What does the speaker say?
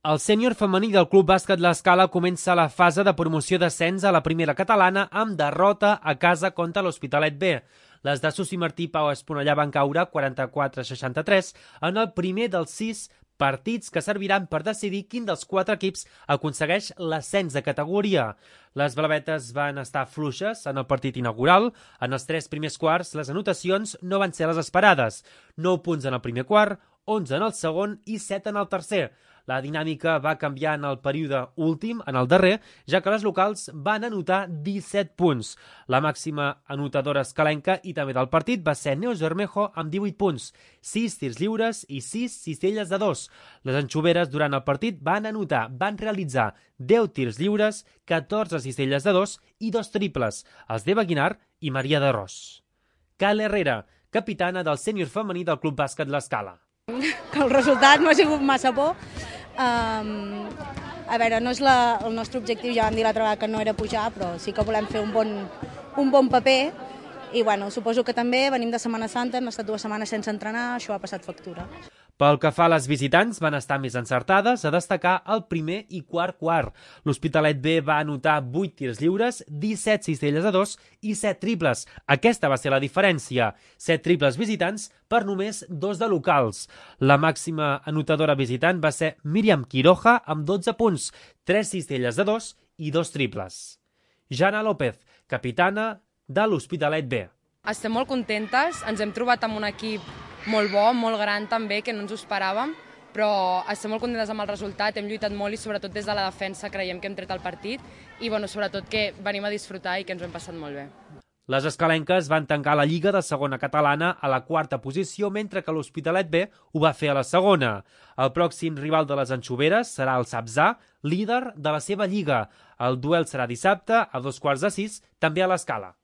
El sènior femení del Club Bàsquet L'Escala comença la fase de promoció d'ascens a la primera catalana amb derrota a casa contra l'Hospitalet B. Les de Susi Martí i Pau Esponellà van caure 44-63 en el primer dels 6 partits que serviran per decidir quin dels 4 equips aconsegueix l'ascens de categoria. Les blavetes van estar fluixes en el partit inaugural. En els 3 primers quarts, les anotacions no van ser les esperades. 9 punts en el primer quart, 11 en el segon i 7 en el tercer. La dinàmica va canviar en el període últim, en el darrer, ja que les locals van anotar 17 punts. La màxima anotadora escalenca i també del partit va ser Neus Bermejo amb 18 punts, 6 tirs lliures i 6 cistelles de 2. Les anxoveres durant el partit van realitzar 10 tirs lliures, 14 cistelles de 2 i 2 triples, els d'Eva Guinar i Maria de Ros. Kyle Herrera, capitana del sènior femení del Club Bàsquet L'Escala. Que el resultat no ha sigut massa bo. A veure, no és el nostre objectiu, ja vam dir l'altra vegada que no era pujar, però sí que volem fer un bon paper i bueno, suposo que també venim de Setmana Santa, hem estat 2 setmanes sense entrenar, això ha passat factura. Pel que fa a les visitants, van estar més encertades, a destacar el primer i quart quart. L'Hospitalet B va anotar 8 tirs lliures, 17 cistelles de 2 i 7 triples. Aquesta va ser la diferència, 7 triples visitants per només 2 de locals. La màxima anotadora visitant va ser Míriam Quiroja amb 12 punts, 3 cistelles de 2 i 2 triples. Jana López, capitana de l'Hospitalet B. Estem molt contentes, ens hem trobat amb un equip molt bo, molt gran també, que no ens ho esperàvem, però estem molt contentes amb el resultat, hem lluitat molt i sobretot des de la defensa creiem que hem tret el partit i sobretot que venim a disfrutar i que ens ho hem passat molt bé. Les escalenques van tancar la Lliga de segona catalana a la 4a posició, mentre que l'Hospitalet B ho va fer a la segona. El pròxim rival de les anxoveres serà el Sabzà, líder de la seva lliga. El duel serà dissabte a 15:45, també a l'Escala.